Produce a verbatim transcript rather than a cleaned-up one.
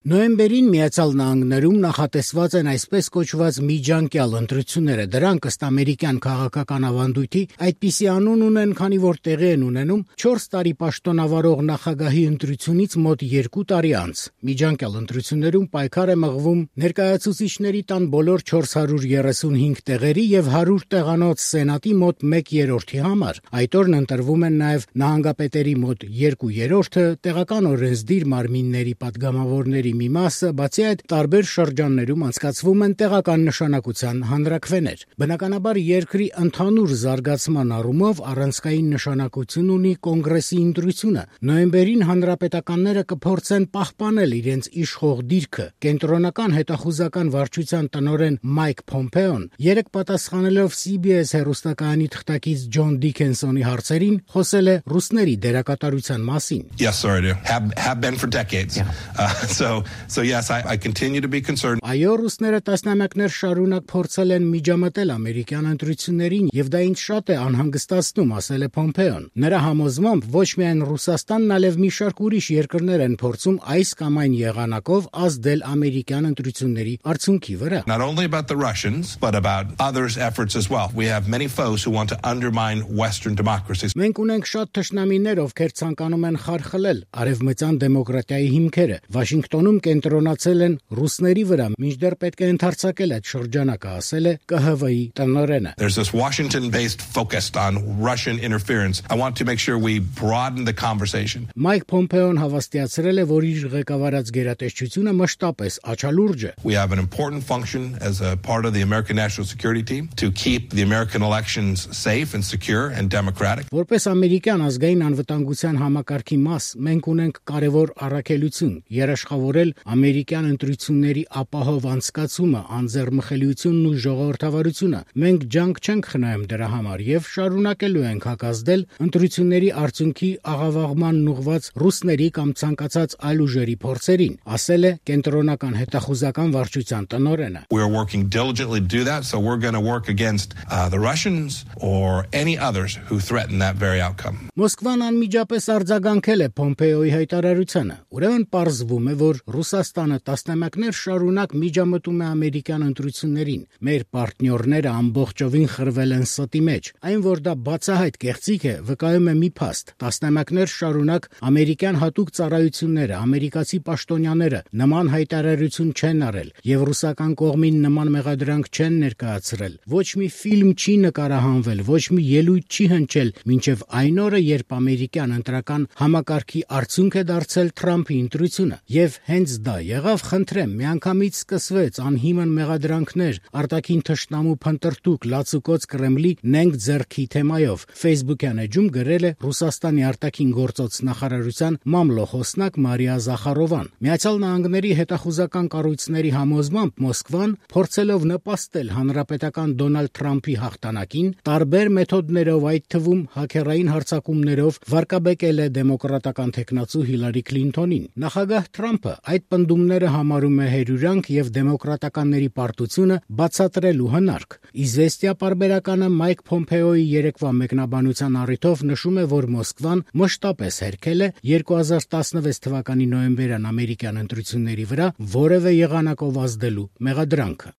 Նոյեմբերին Միացյալ Նահանգներում նախատեսված են այսպես կոչված միջանկյալ ընտրությունները։ Դրանք ըստ ամերիկյան քաղաքական ավանդույթի այդպիսի անուն ունեն, քանի որ տեղի են ունենում չորս տարի պաշտոնավարող նախագահի ընտրությունից մոտ երկու տարի անց։ Միջանկյալ ընտրություններում պայքար է մղվում ներկայացուցիչների տան բոլոր չորս հարյուր երեսունհինգ տեղերի եւ հարյուր տեղանոց սենատի մոտ մեկ երրորդի համար։ Այդ օրն ընտրվում են նաեւ նահանգապետերի մոտ երկու երրորդը, տեղական օրենսդիր մարմինների падգամավորների մի մասը, բացի այդ տարբեր շրջաններում անցկացվում են տեղական նշանակության հանրաքվեներ։ Բնականաբար երկրի ընդհանուր զարգացման առումով առանցքային նշանակություն ունի կոնգրեսի ընտրությունը։ Նոյեմբերին հանրապետականները կփորձեն պահպանել իրենց իշխող դիրքը։ Կենտրոնական հետախուզական վարչության տնօրեն Մայք Փոմպեոն երեկ պատասխանելով C B S հեռուստակայանի թղթակից Ջոն Դիքենսոնի հարցերին խոսել է ռուսների դերակատարության մասին։ Yes, sir, I do. Have, have been for decades. Yeah. Uh, so So yes, I, I continue to be concerned. Այո, ռուսները տասնամյակներ շարունակ փորձել են միջամտել ամերիկյան ընտրություններին, եւ դա ինձ շատ է անհանգստացնում, ասել է Փոմպեոն։ Նրա համոզմամբ ոչ միայն Ռուսաստանն, այլև մի շարք ուրիշ երկրներ են փորձում այս կամ այն եղանակով ազդել ամերիկյան ընտրությունների արդյունքի վրա։ Not only about the Russians, but about others' efforts as well. We have many foes who want to undermine Western democracies. Մենք ունենք շատ թշնամիներ, ովքեր ցանկանում են խարխլել արևմտյան դեմոկրատիայի հիմքերը։ Վաշինգտոնում կենտրոնացել են ռուսների վրա, մինչդեռ պետք է ընդարձակել այդ շրջանակը, ասել է K H V-ի տնօրենը։ There's this Washington-based focus on Russian interference. I want to make sure we broaden the conversation. Մայք Փոմպեոն հավաստիացրել է, որ իր ղեկավարած գերատեսչությունը մշտապես աչալուրջ է։ We have an important function as a part of the American National Security Team to keep the American elections safe and secure and democratic. Որպես ամերիկյան ազգային անվտանգության համակարգի մաս, մենք ունենք կարևոր առաքելություն՝ երաշխավորել ամերիկյան ընտրությունների ապահով անցկացումը, անձեռմխելիությունն ու ժողովրդավարությունը։ Մենք ջանք չենք խնայում դրա համար եւ շարունակելու ենք հակազդել ընտրությունների արդյունքի աղավաղմանն ուղղված ռուսների կամ ցանկացած այլ ուժերի փորձերին, ասել է կենտրոնական հետախուզական վարչության տնօրենը։ We are working diligently to do that, so we're going to work against uh, the Russians or any others who threaten that very outcome. Մոսկվան անմիջապես արձագանքել է Փոմպեոյի հայտարարությանը։ Ուրեմն պարզվում է, որ Ռուսաստանը տասնամյակներ շարունակ միջամտում է ամերիկյան ընտրություններին։ Մեր պարտներները ամբողջովին խրվել են ստի մեջ։ Այն, որ դա բացահայտ կեղծիք է, վկայում է մի փաստ։ Տասնամյակներ շարունակ ամերիկյան հատուկ ծառայությունները, ամերիկացի պաշտոնյաները նման հայտարարություն չեն արել եւ ռուսական կողմին նման մեղադրանք չեն ներկայացրել։ Ոչ մի ֆիլմ չի նկարահանվել, ոչ մի ելույթ չի հնչել, մինչեւ այն օրը, երբ ամերիկյան ընտրական համակարգի արդյունք է դարձել Թրամփի ընտրությունը։ Եվ հենց դա եղավ, խնդրեմ, միանգամից սկսվեց անհիմն մեղադրանքներ արտաքին թշնամու փնտրտուք լացուկոց Կրեմլի նենգ ձեռքի թեմայով։ Facebook-յան էջում գրել է Ռուսաստանի արտաքին գործոց նախարարության մամլոխոսնակ Մարիա Զախարովան։ Միացյալ Նահանգների հետախուզական կառույցների համոզմամբ Մոսկվան, փորձելով նպաստել հանրապետական Դոնալդ Թրամփի հաղթանակին, տարբեր մեթոդներով, այդ թվում հաքերային հարձակումներով, վարկաբեկել է դեմոկրատական թեկնածու Հիլարի Քլինթոնին։ Նախագահ Թրամփը այդ պնդումները համարում է հերյուրանք եւ դեմոկրատականների պարտությունը բացատրելու հնարք։ Իզվեստիա պարբերականը Մայք Փոմպեոյի երեկվա մեկնաբանության առիթով նշում է, որ Մոսկվան մշտապես հերքել է երկու հազար տասնվեց թվականի նոյեմբերյան ամերիկյան ընտրությունների վրա որևէ եղանակով ազդելու մեղադրանքը։